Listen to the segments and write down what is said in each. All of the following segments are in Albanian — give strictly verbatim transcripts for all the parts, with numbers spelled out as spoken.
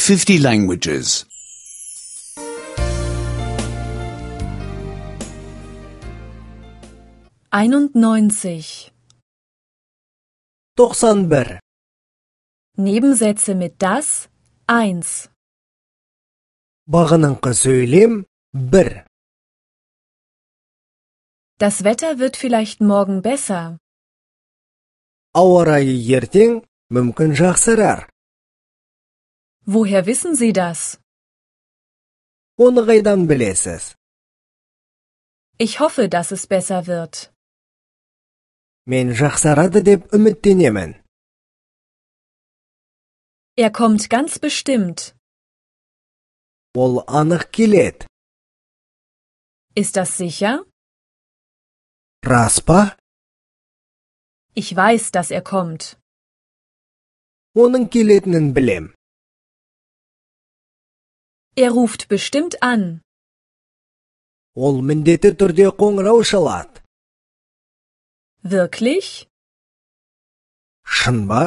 fifty languages. einundneunzig. Тоқсан бір. Nebensätze mit dass eins. Бағыныңқы сөйлем бір. Das Wetter wird vielleicht morgen besser. Ауа райы ертең мүмкін жақсарар. Woher wissen Sie das? Оны қайдан білесіз? Ich hoffe, dass es besser wird. Мен жақсарады деп үміттенемін. Er kommt ganz bestimmt. Ол анық келеді. Ist das sicher? Рас па? Ich weiß, dass er kommt. Оның келетінін білем. Er ruft bestimmt an. Ол міндетті түрде қоңырау шалады. Wirklich? Шын ба?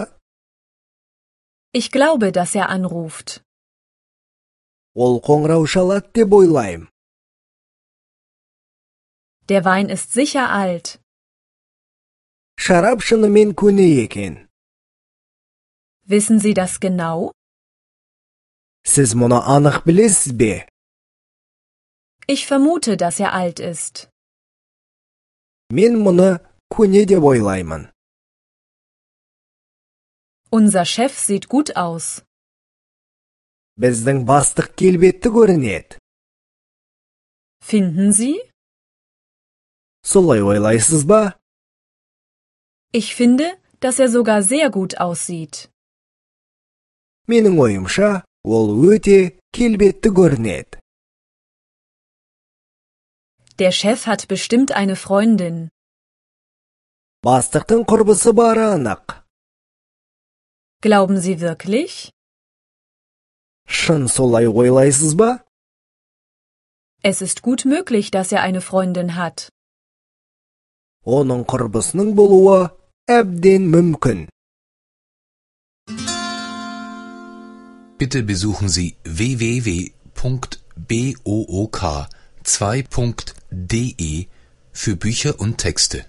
Ich glaube, dass er anruft. Ол қоңырау шалады деп ойлаймын. Der Wein ist sicher alt. Шарап шынымен көне екен. Wissen Sie das genau? Сіз мұны анық білесіз бе? Ich vermute, dass er alt ist. Мен мұны көне деп ойлаймын. Unser Chef sieht gut aus. Біздің бастық келбетті көрінеді. Finden Sie? Солай ойлайсыз ба? Ich finde, dass er sogar sehr gut aussieht. Менің ойымша, ол өте келбетті көрінеді. Der Chef hat bestimmt eine Freundin. Бастықтың құрбысы бары анық. Glauben Sie wirklich? Шын солай ойлайсыз ба? Es ist gut möglich, dass er eine Freundin hat. Оның құрбысының болуы әбден мүмкін. Bitte besuchen Sie w w w Punkt book zwei Punkt de für Bücher und Texte.